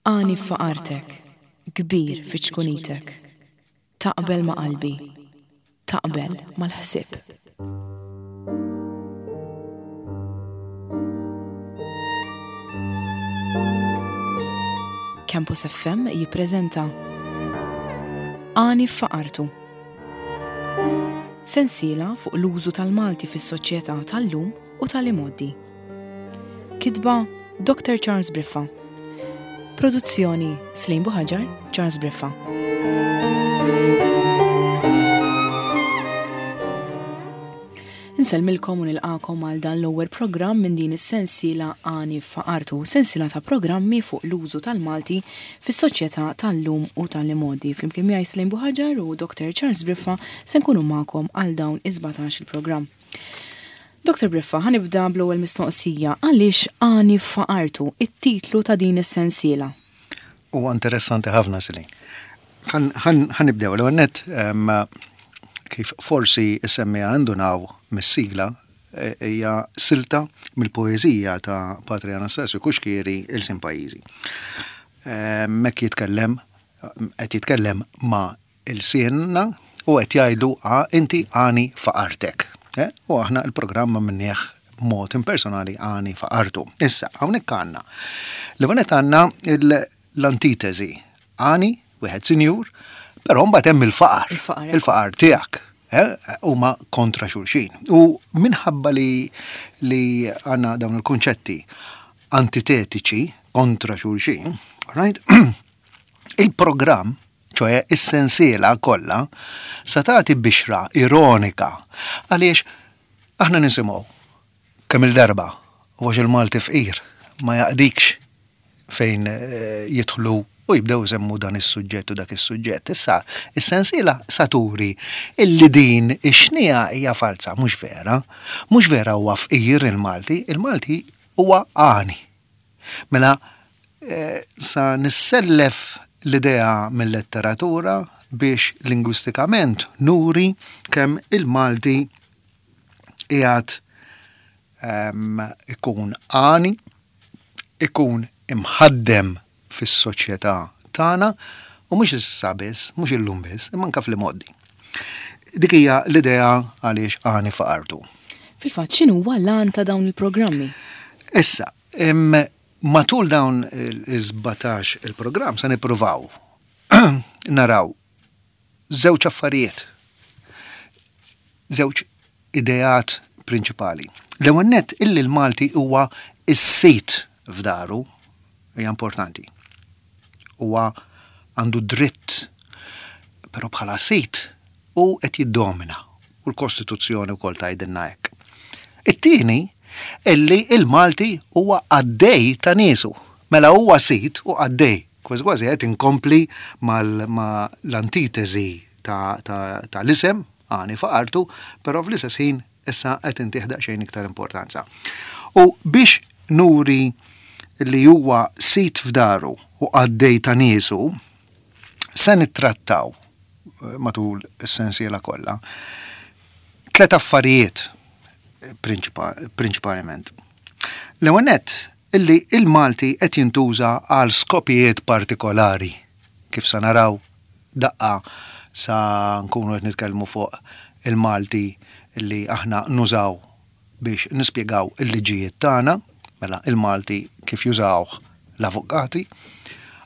Għani f'faqartek, kbir fi ċkunitek. Taqbel ma' qalbi, taqbel mal-ħsieb. Campus FM jippreżenta Għani f'faqartu. Sensiela fuq l-użu tal-Malti fis-soċjetà tal-lum u tal-imgħoddi. Kitba Dr. Charles Briffa. Produzzjoni Slim Buħaġar, Charles Briffa. Insellmilkom u nilqakom għal dan l-ewwel programm minn din is-sensiela Għani f'Faqartu, sensiela ta' programmi fuq l-użu tal-Malti fis-soċjetà tal-lum u tal-imgħoddi. Flimkien miegħi Slim Buħaġar u Dr. Charles Briffa se nkunu magħkom għal dawn is-17 il-programm. Dr. Briffa, ħa nibda bl-ewwel mistoqsija, għaliex Għani f'Faqartu, it-titlu ta' din is-sensiela? Huwa interessanti ħafna, Celine. Ħa nibdew l-ewwel nett kif forsi s-semmiegħa indunaw mis-sigla e, hija silta mill-poeżija ta' Patri Anastasju Cuschieri Ilsien Pajjiżi. Hekk jitkellem qed jitkellem ma' ilsienna u qed jgħidlu a inti għani faqartek. Eh? U aħna il-programm għamilnieh b'mod impersonali għani faqartu. Issa, hawnhekk għandna. L-ewwel għandna l-antitesi. Għani, wieħed sinjur, però mbagħad hemm il-faqar. Il-faqar tiegħek. Eh, huma kontra xulxin. U minħabba li li għandna dawn il-kunċetti antitetiċi kontra xulxin, right? Il-programm ċoe is-sensiela kollha, sa tagħti bixra ironika għaliex aħna nisimgħu kemm-il darba u għax il-Malti fqir ma jaqdikx fejn jidħlu u jibdew isemmu dan is-suġġett u dak is-suġġett. Issa, is-sensiela sa turi illi din ix-xniegħa hija falza, mhux vera. Mhux vera huwa fqir il-Malti, il-Malti huwa għani. Mela, sa nissellef l-idea mil-letteratura biex lingwistikament nuri kemm il-Malti qiegħed ikun għani, ikun imħaddem fis-soċjetà tagħna u mhux issa biss, mhux illum biss, imma anke fl-imgħoddi. Dik hija l-idea għaliex għani faqartu. Fil-fatt, x'inhuwa l-għan ta' dawn il-programmi? Issa, matul dawn il-17 il-programm se nippruvaw naraw żewġ affarijiet, żewġ ideat prinċipali. L-ewwel nett illi l-Malti huwa s-sid f'daru hija importanti. Huwa għandu dritt, però bħala sid hu qed jiddomina u l-Kostituzzjoni wkoll tgħidilna hekk. It-tieni illi l-Malti huwa qaddej ta' niesu. Mela huwa sid u qaddej. Kważi kważi qed inkompli mal-antitesi ta' l-isem, għani faqartu, però fl-istess ħin issa qed intih daqsxejn iktar importanza. U biex nuri li huwa sid f'daru u qaddej ta' niesu, se nittrattaw eh, matul is-sensiela kollha tlet affarijiet prinċipalment. L-ewwel nett illi il-Malti qed jintuża għal skopijiet partikolari kif sa naraw daqqa sa nkunu qed nitkellmu fuq il-Malti li aħna nużaw biex nispjegaw il-liġijiet tagħna, mela il-Malti kif jużawh l-avukati.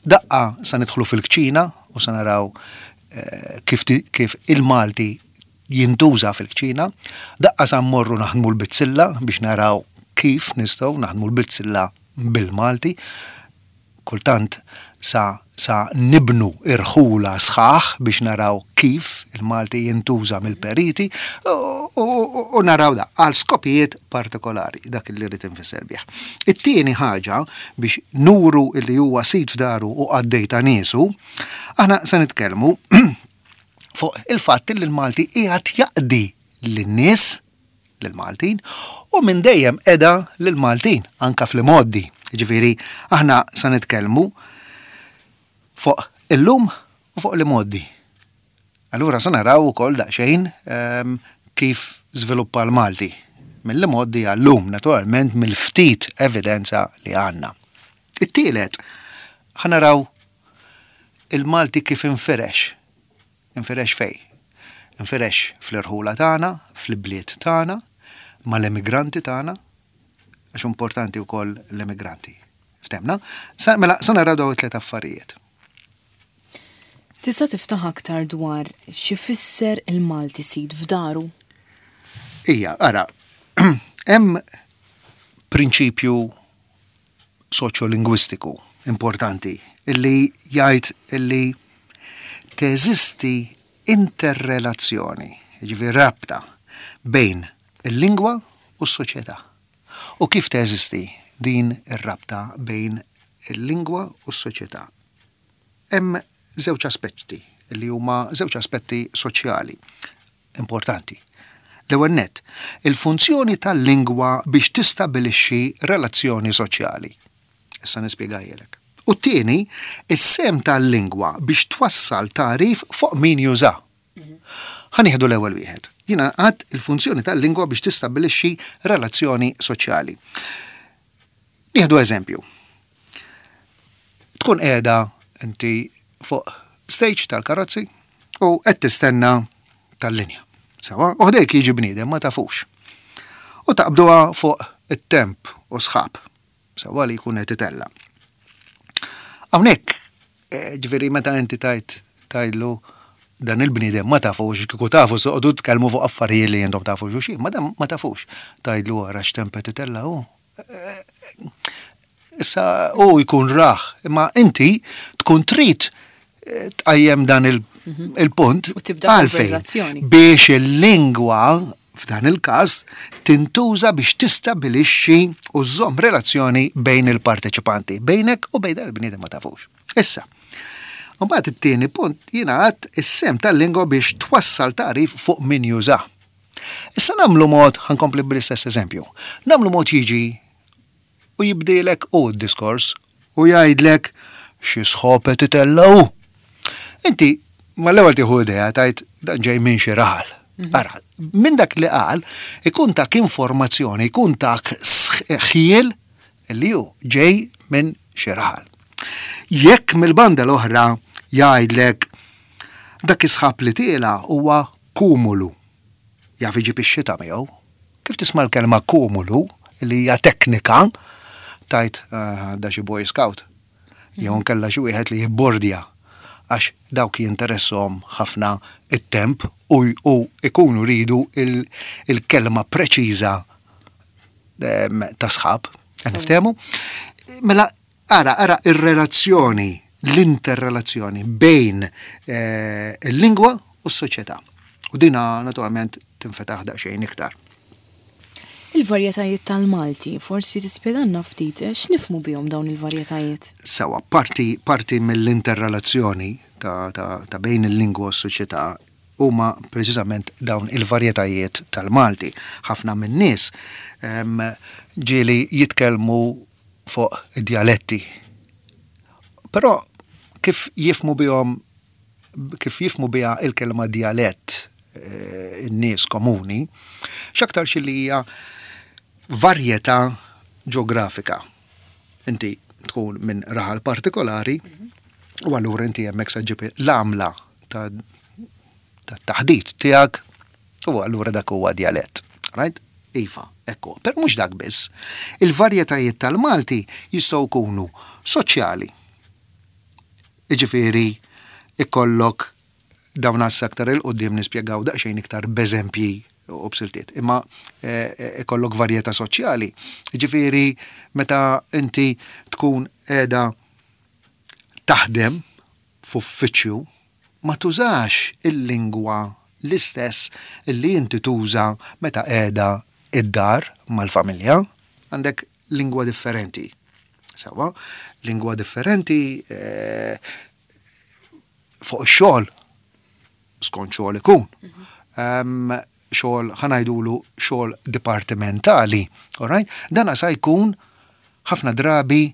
Daqqa sa nidħlu fil-kċina u sa naraw eh, kif, kif il-Malti jintuża fil-kċina. Daqqa sa mmorru naħdmu l-bizzilla biex naraw kif nistgħu naħdmu l-bizzilla bil-Malti. Kultant sa sa nibnu irħula sħaħ biex naraw kif il-Malti jintuża mill-periti u naraw da għal skopijiet partikolari dak li rrid infisser bih. It-tieni ħaġa biex nuru li huwa sid f'daru u qaddej ta' niesu, aħna se nitkellmu fuq il-fatt li l-Malti qiegħed jaqdi lin-nies lill-Maltin u minn dejjem qeda lill-Maltin anka fl-imgħoddi. Jiġifieri aħna sa nitkellmu fuq illum u fuq l-imgħoddi. Allura sa naraw ukoll daqsxejn ehm, kif żviluppa l-Malti mill-imgħoddi għallum, naturalment mill-ftit evidenza li għandna. It-tielet. Ħa naraw il-Malti kif infirex. Infirex fejn? Infirex fl-irħula tagħna, fl-ibliet tagħna, mal-emigranti tagħna, għax importanti wkoll l-emigranti. Ftemna? Mela, sa naraw dawn it-tlet affarijiet. Tista' tiftaħ aktar dwar x'ifisser il-Malti sid f'daru? Ija, ara, hemm prinċipju soċjolingwistiku importanti illi jgħid illi teżisti interrelazzjoni, jiġifieri rabta bejn il-lingwa u s-soċjetà. U kif teżisti din ir-rabta bejn il-lingwa u s-soċjetà? Hemm żewġ aspetti li huma żewġ aspetti soċjali importanti. L-ewwel nett, il-funzjoni tal-lingwa biex tistabbilixxi relazzjoni soċjali. Issa nispjegajlek. U t-tieni, is-sehem tal-lingwa biex twassal tagħrif fuq min juża. Ħa nieħdu l-ewwel wieħed. Jiena għad il-funzjoni tal-lingwa biex tistabbilixxi relazzjoni soċjali. Nieħdu eżempju. Tkun qiegħda inti fuq stage tal-karozzi u qed tistenna tal-linja. Sawa, u ħdejk jiġi bniedem ma tafux. U taqbduha fuq it-temp u sħab. Sawa li jkun qed itella. Hawnhekk, eh, ġifieri meta inti tajt tgħidlu dan il-bniedem ma tafux, kieku tafu soqgħodu tkellmu fuq affarijiet li intom tafu xulxin, ma dan ma tafux. Tgħidlu ara x'temp qed itella' hu. Issa hu jkun rah, imma inti tkun trid eh, tqajjem dan mhm. il-punt għalfejn biex il-lingwa f'dan il-każ tintuża biex tistabilixxi u żżomm relazzjoni bejn il-parteċipanti, bejnek u bejn il-bniedem ma tafux. Issa, Mbagħad it-tieni punt jiena għad is-sem tal-lingwa biex twassal tagħrif fuq min juża. Issa nagħmlu mod, ħa nkompli bl-istess eżempju, nagħmlu mod jiġi u jibdilek hu d-diskors u jgħidlek xi sħob qed itella' hu. Inti mal-ewwel tieħu idea tgħid dan ġej minn xi raħal. Mhm. Ara, minn dak li qal ikun tak informazzjoni, ikun tak ħjiel li hu ġej minn xi raħal. Jekk mill-banda l-oħra jgħidlek dak is-sħab li tiela' huwa kumulu. Jaf iġib ix-xita miegħu. Kif tisma' l-kelma kumulu, li hija teknika, tgħid ah, da xi boy scout. Jew nkella xi wieħed li jibbordja għax dawk jinteresshom ħafna it-temp u, u ikunu ridu il-kelma preċiża ehm, ta' sħab. Niftehmu? Mela Ara, ara ir-relazzjoni, l-interrelazzjoni bejn eh, il-lingwa u s-soċjetà. U dina naturalment tinfetaħ daqsxejn iktar. Il-varjetajiet tal-Malti, forsi tispjegalna ftit eh, x'nifhmu bihom dawn il-varjetajiet? Sewa, parti, parti mill-interrelazzjoni ta', ta, ta bejn il-lingwa u s-soċjetà huma preċiżament dawn il-varjetajiet tal-Malti. Ħafna min-nies ehm, ġieli jitkellmu fuq id-djaletti. Però kif jifhmu bihom kif jifhmu biha il-kelma djalett eh, in-nies komuni, x'aktarx li hija varjetà ġeografika. Inti tkun minn raħal partikolari u allura inti hemmhekk se ġġib l-għamla ta' taħdit tiegħek U allura dak huwa djalett. Right? Iva, ekku. Però mhux dak biss. Il-varjetajiet tal-Malti jistgħu jkunu soċjali. Jiġifieri ikollok dawn għassa aktar 'il quddiem nispjegaw daqsxejn iktar b'eżempji u b'siltiet. Imma eh, ikollok varjetà soċjali. Jiġifieri meta inti tkun qiegħda taħdem f'uffiċċju ma tużax il-lingwa l-istess li inti tuża meta qiegħda id-dar mal-familja. Għandek lingwa differenti. Sewwa, lingwa differenti eh, fuq ix-xogħol skont xogħol ikun. Mhm. Xogħol ħa ngħidulu xogħol dipartimentali, all right? Dan sa jkun ħafna drabi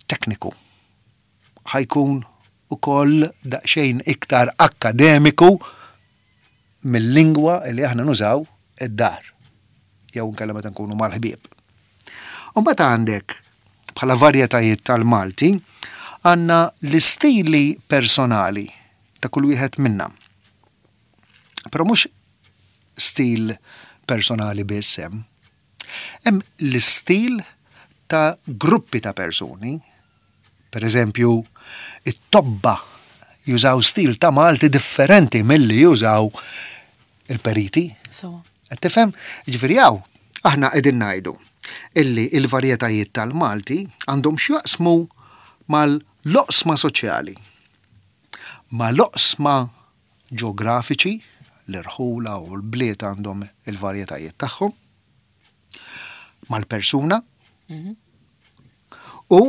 tekniku. Ħa jkun ukoll daqsxejn iktar akkademiku mill-lingwa li aħna nużaw id-dar jew inkella meta nkunu mal-ħbieb. U mbagħad għandek bħala varjetajiet tal-Malti, għandna l-istili personali ta' kull wieħed minna. Però mhux stil personali biss hemm. Hemm l-istil ta' gruppi ta' persuni. Per eżempju, it-tobba jużaw stil ta' Malti differenti milli jużaw il-periti. Qed tifhem? Jiġifieri hawn aħna qegħdin ngħidu illi l-varjetajiet tal-Malti għandhom x'jaqsmu mal-oqsma soċjali, mal-oqsma ġeografiċi, l-irħula u l-bliet għandhom il-varjetajiet tagħhom, mal-persuna u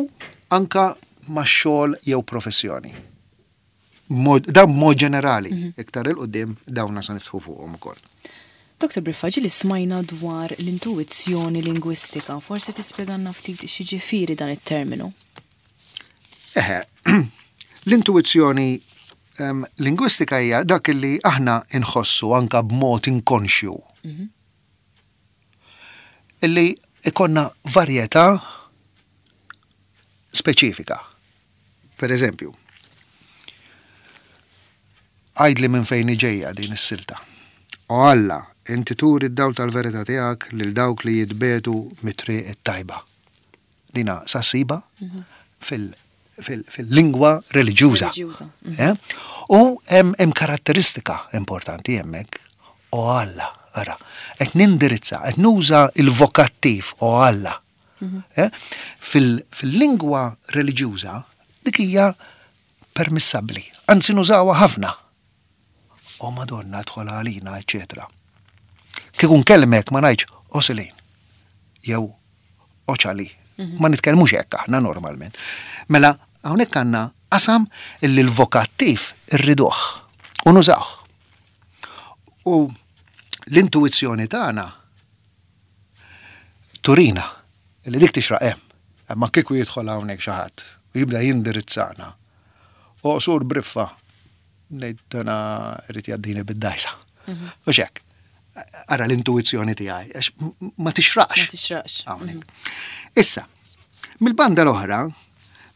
anka max-xogħol jew professjoni. Dan b'mod ġenerali, iktar 'il quddiem dawna se niftħu fuqhom ukoll. Dr. Briffa, ġieli smajna dwar l-intuwizzjoni lingwistika, forsi tispjegalna ftit x'jiġifieri dan it-terminu? Eħe, l-intuwizzjoni lingwistika hija dak li aħna nħossu anka b'mod inkonxju. Illi ikonna varjetà speċifika. Per eżempju, għidli minn fejn ġejja din is-silta. O Alla, inti turi d-dawl tal-verità tiegħek lil dawk li jitbetu mit-triq it-tajba. Dina sa ssibha fil-lingwa reliġjuża. Eh? U hemm karatteristika importanti hemmhekk. O Alla, ara, qed nindirizza, qed nuża il-vokattiv o Alla. Eh? Fil-lingwa reliġjuża dik hija permissabbli, anzi nużawha ħafna. O Madonna dħol għalina, eċetera. Kieku nkellmek ma ngħidx o Selin jew o Ċali. Mhm. Ma nitkellmux hekk aħna normalment. Mela hawnhekk għandna qasam illi l-vokattiv irriduh u nużawh. U l-intuizzjoni tagħna turina li dik tixraq hemm. Imma kieku jidħol hawnhekk xi ħadd u jibda jindirizzana. O sur briffa, ngħid dana irid jgħaddini bid-dajsa. Mhm. U xek, ara l-intuizzjoni tiegħi, għax ma tixraqx. Ma tixraqx. Mhm. Issa, mill-banda l-oħra,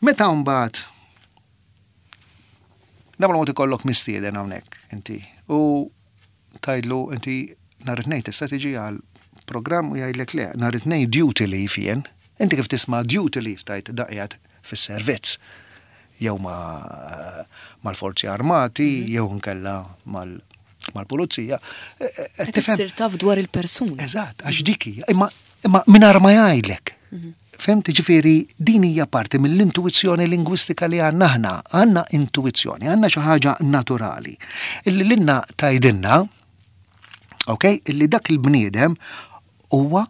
meta mbagħad nagħmlu mod ikollok mistieden hawnhekk inti u tgħidlu inti nhar it-Tnejn tista' tiġi għal programm u jgħidlek le, nhar it-Tnejn duty leave jien. Inti kif tisma' duty leave tgħid da qiegħed fis-servizz jew mal-forzi armati mhm. jew nkella mal-pulizija. E, e, e, qed issir taf dwar il-persuna. Eżatt, għax dik hija, imma imma mingħajr ma jgħidlek. Mhm. Fhemt? Ġifieri din hija parti mill-intuwizzjoni lingwistika li għandna aħna. Għandna intuwizzjoni, għandna xi ħaġa naturali. Illi lilna tgħidilna, ok, illi dak il-bniedem huwa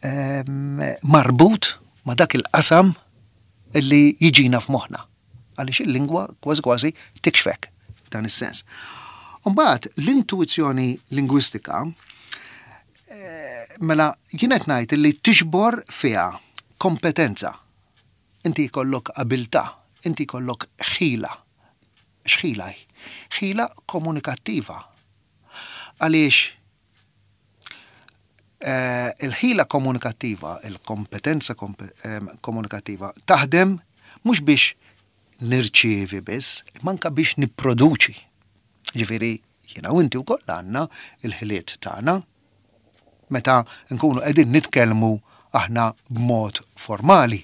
ehm, marbut ma' dak il-qasam illi jiġina f'moħħna. Għaliex il-lingwa kważi kważi tikxfek f'dan is-sens. Mbagħad l-intuwizzjoni lingwistika eh, mela jien qed ngħid li tiġbor fiha kompetenza. Inti jkollok abilità, inti jkollok ħila. X'ħila hi? Ħila komunikattiva. Għaliex eh, il-ħila komunikattiva, il-kompetenza eh, komunikattiva taħdem mhux biex nirċievi biss, imma anke biex nipproduċi. Ġifieri jiena u inti wkoll għandna il-ħiliet tagħna meta nkunu qegħdin nitkellmu aħna b'mod formali.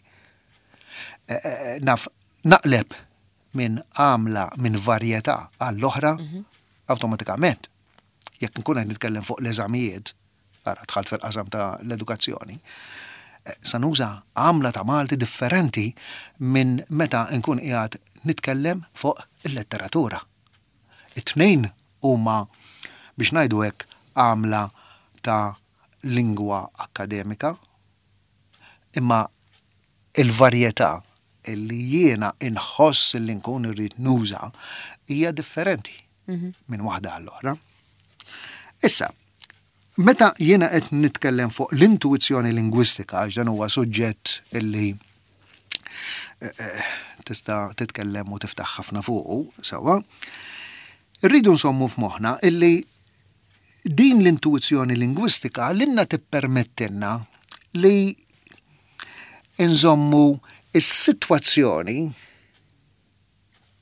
Eh, naf naqleb minn għamla minn varjetà għall-oħra mhm. awtomatikament. Jekk nkun qed nitkellem fuq l-eżamijiet, ara dħalt fil-qasam ta' l-edukazzjoni, eh, sa nuża għamla ta' Malti differenti minn meta nkun qiegħed nitkellem fuq il-letteratura. It-tnejn huma biex ngħidu hekk għamla ta' lingwa akkademika, imma il-varjetà li jiena inħoss li nkun irrid nuża hija differenti minn waħda għall-oħra. Issa, meta jiena qed nitkellem fuq l-intuizzjoni lingwistika, għax dan huwa suġġett illi eh, eh, tista' titkellem u tiftaħ ħafna fuqu, sewwa, irridu nsommu f'moħħna illi din l-intuizzjoni lingwistika lilna tippermettilna li inżommu s-sitwazzjoni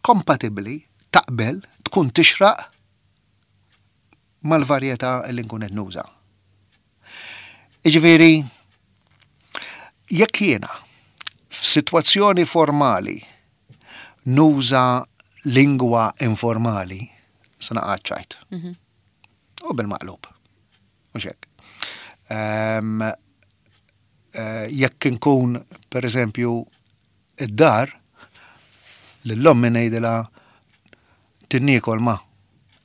kompatibbli, taqbel, tkun tixraq mal-varjetà li nkun qed nuża. Jiġifieri, jekk jiena f'sitwazzjoni formali nuża lingwa informali, se naqa' ċajt. Mhm. U bil-maqlub. U xek. Ehm, eh, jekk inkun, per eżempju, id-dar, lil ommi ngħidilha tinniekol ma,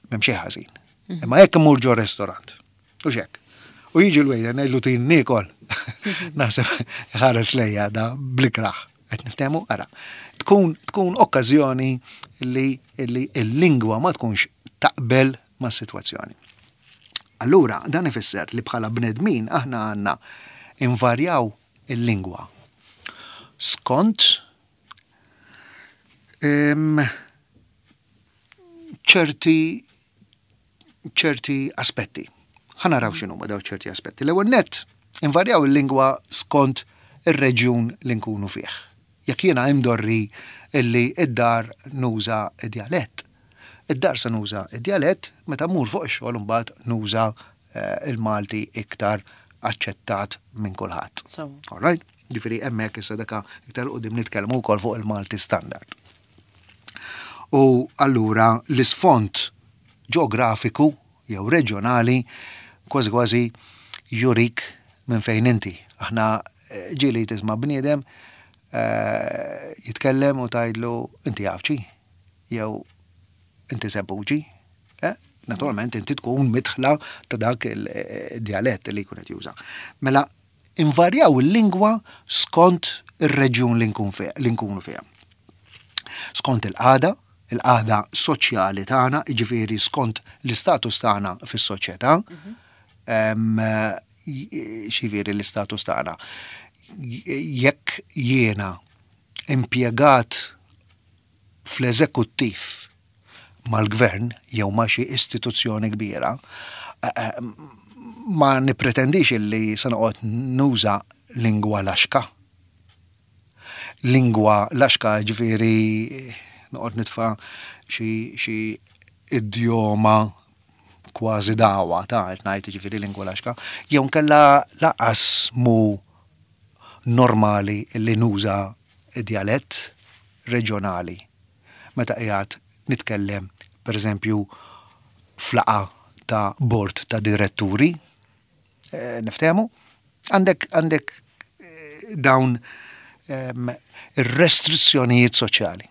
m'hemm xejn ħażin. Mhm. Imma jekk immur ġo restorant, u xek. U jiġi l-waiter ngħidlu tinniekol. Naħseb ħares lejja da blikraħ. Qed niftehmu ara. Tkun tkun okkażjoni li l-lingwa ma tkunx taqbel mas-sitwazzjoni. Allura dan ifisser li bħala bnedmin aħna għandna invarjaw il-lingwa skont ċerti ċerti aspetti. Ħa naraw x'inhuma daw ċerti aspetti. L-ewwel nett invarjaw il-lingwa skont ir-reġjun li nkunu fih. Jekk jiena imdorri illi id-dar nuża djalett, id-dar se nuża d-djalett, meta mmur fuq ix-xogħol imbagħad nuża il-Malti iktar aċċettat minn kulħadd. All right? Ġifieri hemmhekk issa daka iktar quddiem nitkellmu wkoll fuq il-Malti standard. U allura l-isfond ġeografiku jew reġjonali kważi kważi jurik minn fejn inti. Aħna eh, ġieli tisma' bniedem eh, jitkellem u tgħidlu inti Għawdxi jew inti Żebbuġi. Eh? Naturalment inti tkun midħla ta' dak il-djalett li jkun qed juża. Mela invarjaw il-lingwa skont ir-reġjun li nkunu fiha. Skont il-qagħda, il-qagħda soċjali tagħna, jiġifieri skont l-istatus tagħna fis-soċjetà, mhm. xifieri l-istatus tagħna. Jekk jiena impjegat fl-eżekuttiv mal-gvern jew ma' xi istituzzjoni kbira, ma nippretendix illi se noqgħod nuża lingwa laxka. Lingwa laxka ġifieri noqgħod nitfa' xi idjoma kważi dagħwa ta' qed ngħid jiġifieri lingwa laxka, jew nkella lanqas mhu normali li nuża djalett reġjonali meta qiegħed nitkellem pereżempju f'laqgħa ta' bord ta' diretturi, eh, niftehmu, għandek għandek eh, dawn ehm, ir-restrizzjonijiet soċjali.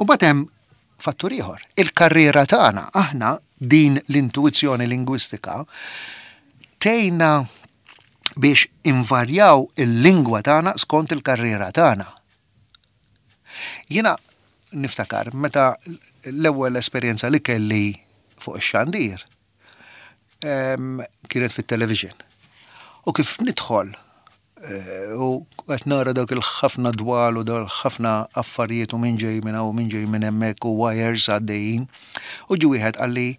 U mbagħad hemm fattur ieħor, il-karriera tagħna, aħna din l-intuizzjoni lingwistika tgħinna biex invarjaw il-lingwa tagħna skont il-karriera tagħna. Jiena niftakar meta l-ewwel esperjenza li kelli fuq ix-xandir kienet fit-television. U kif nidħol eh, u qed nara dawk il-ħafna dwal u dawk ħafna affarijiet u minn ġej minn hawn u minn ġej minn hemmhekk u wires għaddejjin. U ġi wieħed qalli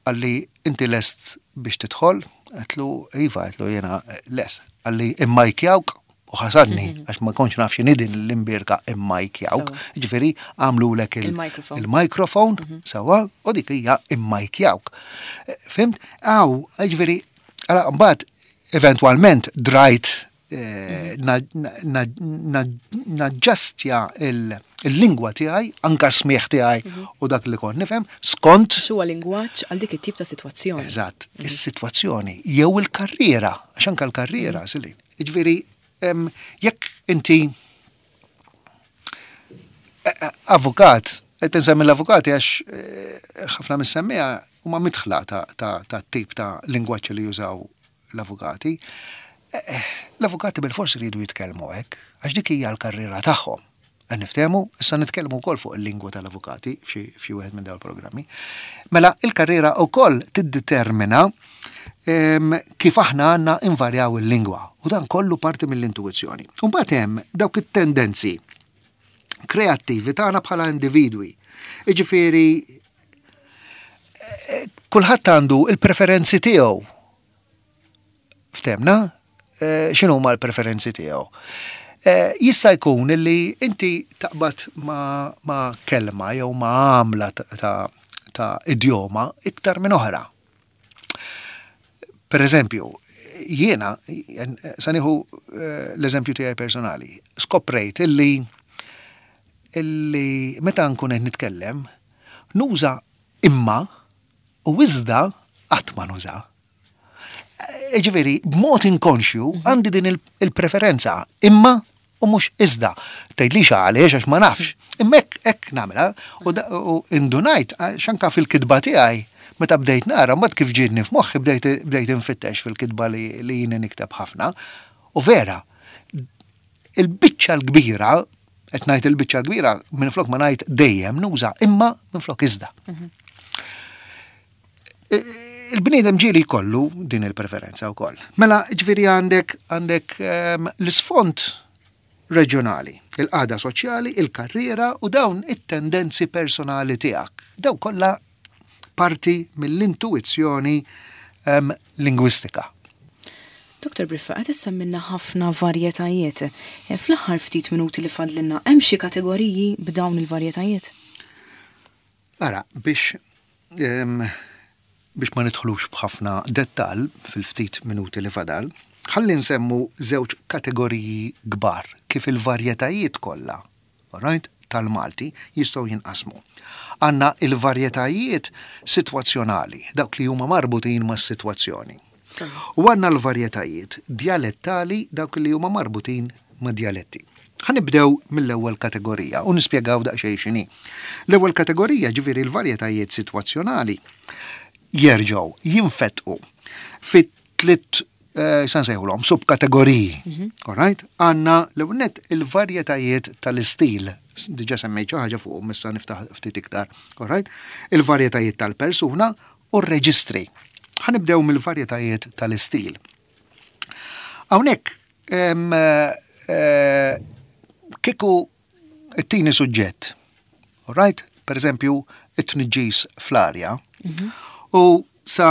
Qalli, Inti lest biex tidħol? Għedtlu, Iva, għedtlu jiena lest. Qalli, Immajkjawk? U ħasadni, għax ma kontx naf x'inhi din l-imbierka immajkjawk. Ġifieri għamlulek il-microphone, mhm. sewwa, u dik hija immajkjawk. Eh, fimt? Aw, ġifieri, mbagħad eventwalment drajt eh, naġġastja il-lingwa tiegħi, anka smieħ tiegħi mhm. u dak li kont nifhem, skont. Huwa lingwaġġ għal dik it-tip ta' sitwazzjoni. Eżatt, mhm. is-sitwazzjoni jew il-karriera, għax anka l-karriera, mhm. Silin. Jiġifieri jekk inti eh, eh, avukat, qed insemmi l-avukati għax ħafna mis-semmija huma midħla ta' tip ta' lingwaġġ li jużaw l-avukati, l-avukati bilfors iridu jitkellmu hekk, għax dik hija l-karriera tagħhom. Qed niftehmu? Issa nitkellmu wkoll fuq il-lingwa tal-avukati f'xi wieħed minn dawn il-programmi. Mela il-karriera wkoll tiddetermina ehm, kif aħna għandna invarjaw il-lingwa u dan kollu parti mill-intuizzjoni. U mbagħad hemm dawk it-tendenzi kreattivi tagħna bħala individwi. Jiġifieri kulħadd għandu il-preferenzi tiegħu. Ftemna? x'inhuma l-preferenzi tiegħu. Jista' jkun li inti taqbad ma' kelma jew ma' għamla ta' idjoma iktar minn oħra. Per eżempju, jiena, sa nieħu l-eżempju tiegħi personali, skoprejt illi illi meta nkun qed nitkellem nuża imma u iżda qatt ma nuża. Ġifieri, b'mod inkonxju għandi din il-preferenza imma u mhux iżda. Tgħidlix għaliex għax ma nafx. Imma hekk hekk nagħmilha u indunajt għax anke fil-kitba tiegħi meta bdejt nara mbagħad kif ġietni f'moħħi bdejt bdejt infittex fil-kitba li li jiena nikteb ħafna. U vera, il-biċċa l-kbira, qed ngħid il-biċċa l-kbira minflok ma ngħid dejjem nuża imma minflok iżda. Il-bniedem ġieli jkollu din il-preferenza wkoll. Mela, ġifieri għandek għandek ehm, l-isfond reġjonali, il-qagħda soċjali, il-karriera u dawn it-tendenzi personali tiegħek. Daw kollha parti mill-intuizzjoni ehm, lingwistika. Dr. Briffa, qed issemmilna ħafna varjetajiet. Eh, fl-aħħar ftit minuti li fadlilna, hemm xi kategoriji b'dawn il-varjetajiet? Ara, biex biex ma nidħlux b'ħafna dettall fil-ftit minuti li fadal, ħalli nsemmu żewġ kategoriji kbar kif il-varjetajiet kollha, alright, tal-Malti jistgħu jinqasmu. Għandna il-varjetajiet sitwazzjonali, dawk li huma marbutin mas-sitwazzjoni. U għandna l-varjetajiet djalettali, dawk li huma marbutin ma' djaletti. Ħa nibdew mill-ewwel kategorija u nispjegaw daqsxejn x'inhi. L-ewwel kategorija, ġifieri l-varjetajiet sitwazzjonali, jerġgħu jinfetqu fi tliet eh, sa nsejħulhom subkategoriji. Mhm. All right? Għandna l-ewwel nett il-varjetajiet tal-istil. Diġà semmejt xi ħaġa fuqhom issa niftaħ ftit iktar. All right? Il-varjetajiet tal-persuna u r-reġistri. Ħa nibdew mill-varjetajiet tal-istil. Hawnhekk eh, kieku it-tieni suġġett, right? Per eżempju, it-tniġġis fl-arja mhm. u sa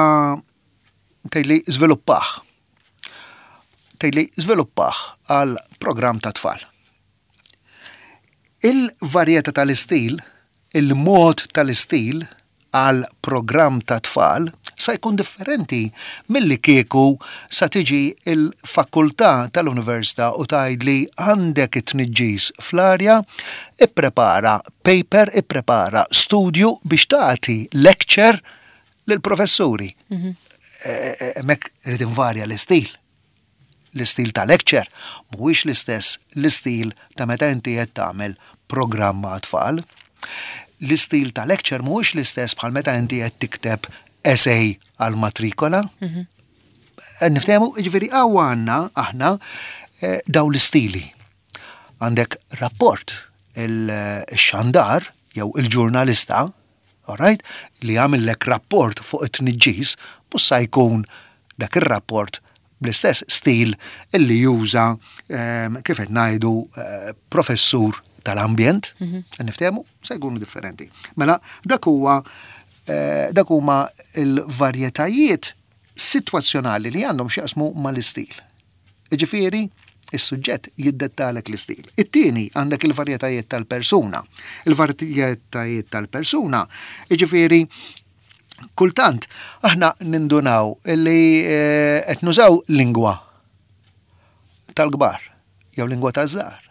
tgħidli żviluppaħ. Tgħidli żviluppaħ għal programm ta' tfal. Il-varjetà tal-istil, il-mod tal-istil għal programm ta' tfal sa jkun differenti milli kieku sa tiġi l-fakultà tal-università u tgħidli għandek it-tniġġis fl-arja, ipprepara paper, ipprepara studju biex tagħti lecture lill-professuri. Hemmhekk irid invarja l-istil. L-istil ta' lecture mhuwiex l-istess l-istil ta' meta inti qed tagħmel programm ma' tfal. L-istil ta' lecture mhuwiex l-istess bħal meta inti qed tikteb essay għal matrikola. Mhm. Eh, niftehmu, jiġifieri hawn għandna aħna eh, daw l-istili. Għandek rapport il-xandar jew il-ġurnalista Alright? Li jagħmillek rapport fuq it-tniġġis mhux sa jkun dak ir-rapport bl-istess stil illi juża ehm, kif qed ngħidu eh, professur tal-ambjent, mhm. niftehmu, se jkunu differenti. Mela dak huwa eh, dak huma l-varjetajiet sitwazzjonali li għandhom x'jaqsmu mal-istil. Jiġifieri, is-suġġett jiddettalek l-istil. It-tieni għandek il-varjetajiet tal-persuna. Il-varjetajiet tal-persuna, jiġifieri, kultant aħna nindunaw li eh, qed nużaw lingwa tal-kbar jew lingwa taż-żgħar.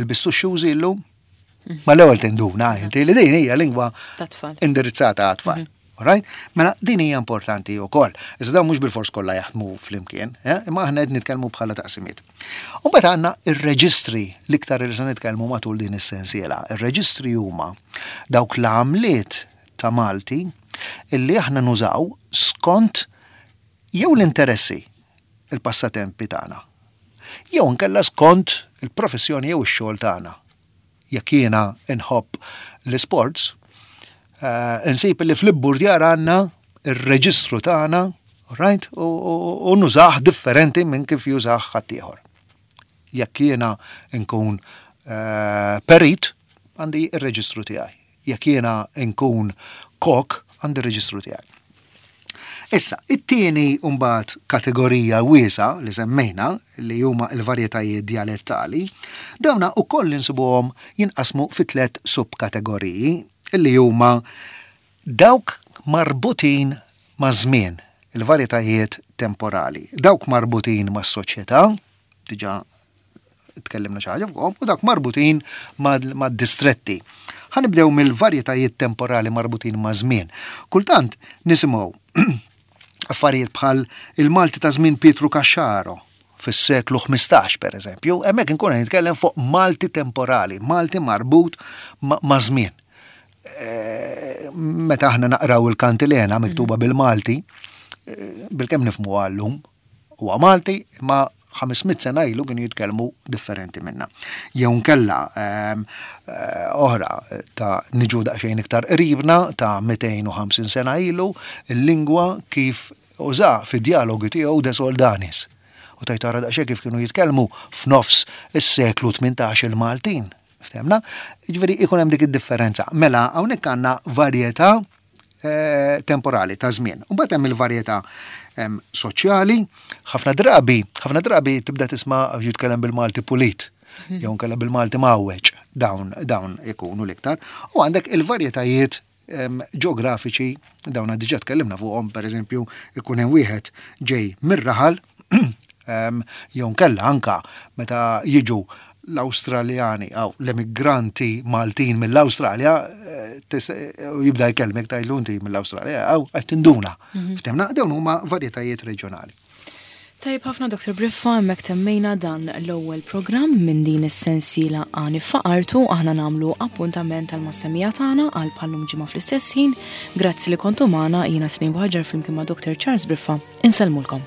Ilbistu x-xużi llum? Ma l-ewwel tinduna inti li din hija lingwa indirizzata għat-tfal. Mhm. Alright? Mela din hija importanti wkoll. Iżda dawn mhux bil-fors kollha jaħdmu flimkien, eh? imma aħna qed nitkellmu bħala taqsimiet. U mbagħad għandna ir-reġistri l-iktar li se nitkellmu matul din is-sensiela. Ir-reġistri huma dawk l-għamliet ta' Malti illi aħna nużaw skont jew l-interessi il-passatempi tagħna. Jew inkella skont il-professjoni jew ix-xogħol tagħna. Jekk jiena nħobb l-isports, eh, insib li fl-ibburdjar għandna ir-reġistru tagħna, right, u nużah differenti minn kif jużah ħaddieħor. Jekk jiena nkun eh, perit, għandi ir-reġistru tiegħi. Jekk jiena nkun kok, għandi r-reġistru tiegħi. Issa, it-tieni mbagħad kategorija wiesgħa li semmejna li huma l-varjetajiet djalettali, dawna wkoll insibuhom jinqasmu fi tlett subkategoriji li huma dawk marbutin maż-żmien, il-varjetajiet temporali, dawk marbutin mas-soċjetà, diġà tkellimna xi ħaġa fuqhom, u dawk marbutin mad-distretti. Ħa nibdew mill-varjetajiet temporali marbutin ma' żmien. Kultant nisimgħu affarijiet bħal il-Malti ta' żmien Pietru Caxaro fis-seklu 15 per eżempju, hemmhekk inkun qed nitkellem fuq Malti temporali, Malti marbut ma' żmien. Eh, meta aħna naqraw il-kantilena miktuba bil-Malti, eh, bilkemm nifhmu għallum, huwa Malti, imma 500 sena ilu kienu jitkellmu differenti minna. Jew nkella ehm, eh, oħra ta' niġu daqsxejn iktar qribna ta' 250 sena ilu, il-lingwa kif uża fid-dialogi tiegħu De Soldanis. U tajt tara daqsxejn kif kienu jitkellmu f'nofs is-seklu 18 il-Maltin. Ftemna? Ġifieri ikun hemm dik id-differenza. Mela hawnhekk għandna varjetà eh, temporali ta' żmien. U mbagħad hemm il-varjetà soċjali, ħafna drabi, ħafna drabi tibda tisma' jitkellem bil-Malti pulit, mhm. jew nkella bil-Malti mawweġ, dawn dawn ikunu l-iktar. U għandek il-varjetajiet ġeografiċi, dawn diġà tkellimna fuqhom, pereżempju, ikun hemm wieħed ġej mir-raħal, jew nkella anka meta jiġu l-Awstraljani aw l-emigranti Maltin mill-Awstralja eh, eh, jibda jkellmek tgħidlu inti mill-Awstralja aw qed tinduna. Mhm. Ftemna dawn huma varjetajiet reġjonali. Tajjeb ħafna Dr. Briffa, hemmhekk temmejna dan l-ewwel programm minn din is-sensiela Għani Faqartu. Aħna nagħmlu appuntament għal mas-semmiegħa tagħna għal bħal-lum ġimgħa fl-istess ħin. Grazzi li kontu magħna, jiena Snin Buħaġar flimkien ma' Dr. Charles Briffa. Insellmulkom.